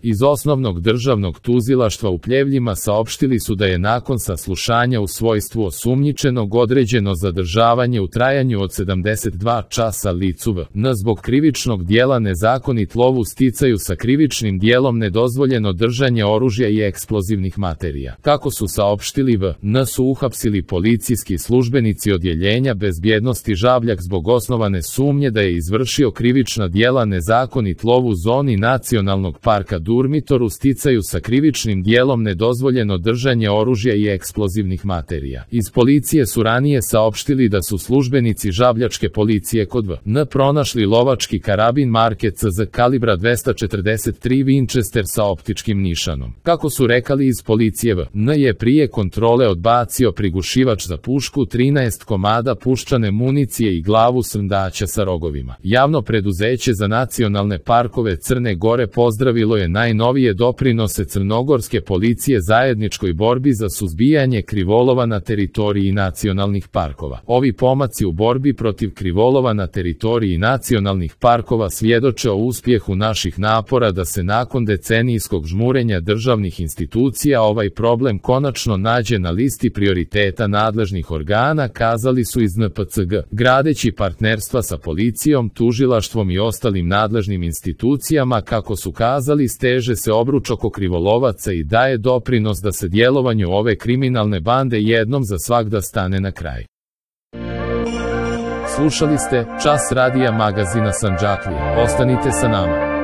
Iz Osnovnog državnog tužilaštva u Pljevljima saopštili su da je nakon saslušanja u svojstvu osumnjičenog određeno zadržavanje u trajanju od 72 časa licu V.N. zbog krivičnog dijela nezakonit lov u sticaju sa krivičnim dijelom nedozvoljeno držanje oružja i eksplozivnih materija. Kako su saopštili V.N. su uhapsili policijski službenici odjeljenja bezbjednosti Žabljak zbog osnovane sumnje da je izvršio krivična dijela nezakonit lov u zoni Nacionalnog parka Durmitor u sticaju sa krivičnim dijelom nedozvoljeno držanje oružja i eksplozivnih materija. Iz policije su ranije saopštili da su službenici žabljačke policije kod V.N. pronašli lovački karabin marke CZ kalibra 243 Winchester sa optičkim nišanom. Kako su rekali iz policije, V.N. je prije kontrole odbacio prigušivač za pušku, 13 komada puščane municije i glavu srndaća sa rogovima. Javno preduzeće za nacionalne parkove Crne Gore pozdravilo je najnovije doprinose crnogorske policije zajedničkoj borbi za suzbijanje krivolova na teritoriji nacionalnih parkova. Ovi pomaci u borbi protiv krivolova na teritoriji nacionalnih parkova svjedoče o uspjehu naših napora da se nakon decenijskog žmurenja državnih institucija ovaj problem konačno nađe na listi prioriteta nadležnih organa, kazali su iz NPCG. Gradeći partnerstva sa policijom, tužilaštvom i ostalim nadležnim institucijama, kako su kazali, steže se obruč oko krivolovaca i daje doprinos da se djelovanju ove kriminalne bande jednom za svagda stane na kraj. Slušali ste Čas radija magazina Sandžaklije. Ostanite sa nama.